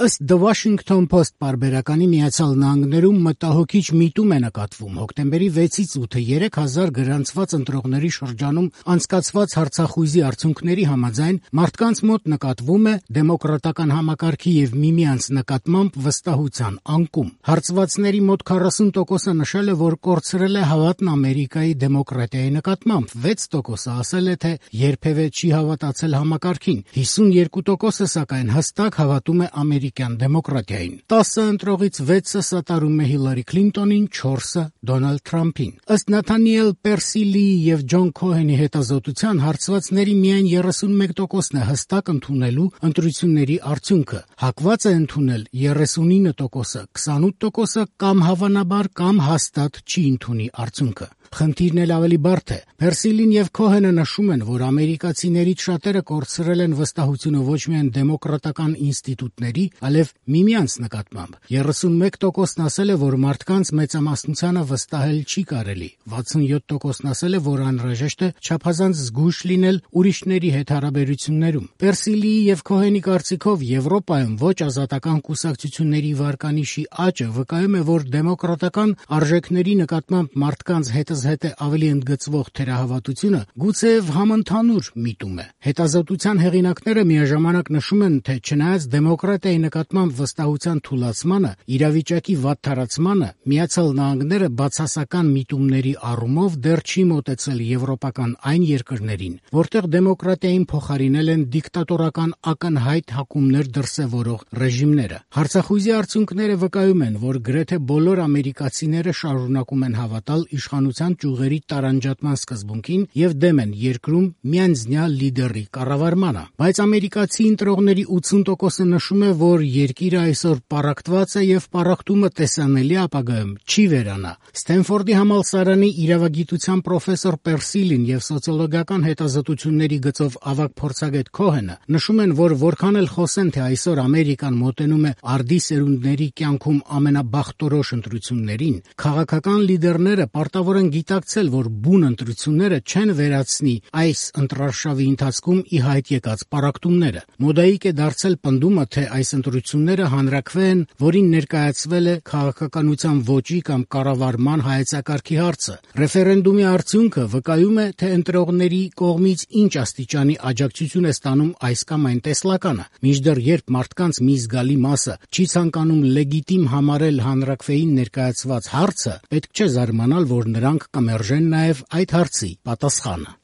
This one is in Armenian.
Ըստ The Washington Post պարբերականի Միացյալ Նահանգներում մտահոգիչ միտում է նկատվում հոկտեմբերի 6-ից 8-ը 3000 գրանցված ընտրողների շրջանում անցկացված հարցախույզի արդյունքների համաձայն մարդկանց մոտ նկատվում է դեմոկրատական համակարգի եւ միմյանց նկատմամբ վստահության անկում։ Հարցվածների մոտ 40%-ը նշել է, որ կորցրել է հավատն Ամերիկայի դեմոկրատիայի նկատմամբ, 6%-ը ասել է, թե երբևէ չի հավատացել համակարգին, 52%-ը սակայն հստակ հավատում է ամերիկյան դեմոկրատիային։ 10 ընտրողից 6-ը սատարում է Հիլարի Քլինտոնին, 4-ը Դոնալդ Թրամփին։ Ըստ Նաթանիել Պերսիլիի եւ Ջոն Քոհենի հետազոտության հարցվածների միայն 31%-ն է հստակ ընդունելու ընտրությունների արդյունքը, հակված է ընդունել 39%-ը, 28%-ը կամ հավանաբար կամ հաստատ չի ընդունի արդյունքը։ Խնդիրն էլ ավելի բարդ է։ Պերսիլին եւ Քոհենը նշում են, որ ամերիկացիներից շատերը կորցրել են վստահությունը ոչ միայն դեմոկրատական ինստիտուտների, այլև միմյանց նկատմամբ։ 31%-ն ասել է, որ մարդկանց մեծամասնությանը վստահել չի կարելի, 67%-ն ասել է, որ անհրաժեշտ է չափազանց զգույշ լինել ուրիշների հետ հարաբերություններում։ Պերսիլիի եւ Քոհենի կարծիքով Եվրոպայում ոչ ազատական կուսակցությունների վարկանիշի աճը վկայում է, որ դեմոկրատական արժեքների նկատմամբ մարդկանց հետզհետե ավելի ընդգծվող թերահավատությունը գուցեև համընդհանուր միտում է։ Հետազոտության հեղինակները միաժամանակ նշում են, թե չնայած դեմոկրատիայի նկատմամբ վստահության թուլացմանը, իրավիճակի վատթարացմանը, Միացյալ Նահանգները բացասական միտումների առումով դեռ չի մոտեցել եվրոպական այն երկրներին, որտեղ դեմոկրատիային փոխարինել են դիկտատորական ակնհայտ հակումներ դրսևորող ռեժիմները։ Հարցախույզի արդյունքները վկայում են, որ գրեթե բոլոր ամերիկացիները շարունակում են հավատալ իշխանության ճյուղերի տարանջատման սկզբունքին եւ դեմ են երկրում միանձնյա լիդերի կառավարմանը։ Բայց ամերիկացի ընտրողների 80%-ը նշում է, որ երկիրը այսօր պառակտված է եւ պառակտումը տեսանելի ապագայում չի վերանա։ Սթենֆորդի համալսարանի իրավագիտության պրոֆեսոր Պերսիլին եւ սոցիոլոգիական հետազոտությունների գծով ավագ փորձագետ Քոհենը նշում են, որ որքան էլ խոսեն, թե այսօր Ամերիկան մոտենում է արդի սերունդների կյանքում ամենաբախտորոշ ընտրություններին, քաղաքական լիդերները պարտավոր են գիտակցել, որ բուն ընտրությունները չեն վերացնի այս ընտրարշավի ընթացքում ի հայտ եկած պառակտումները։ Մոդայիկ է դարձել պնդումը, թե այս ընտրությունները հանրաքվե են, որին ներկայացվել է քաղաքականության ոճի կամ կառավարման հայեցակարգի հարցը։ Ռեֆերենդումի արդյունքը վկայում է, թե ընտրողների կողմից ինչ աստիճանի աջակցություն է ստանում այս կամ այն տեսլականը։ Մինչդեռ երբ մարդկանց մի զգալի մասը չի ցանկանում լեգիտիմ համարել հանրաքվեին ներկայացված հարցը, պետք չէ զարմանալ, որ նրանք կմերժեն նաև այդ հարցի պատասխանը։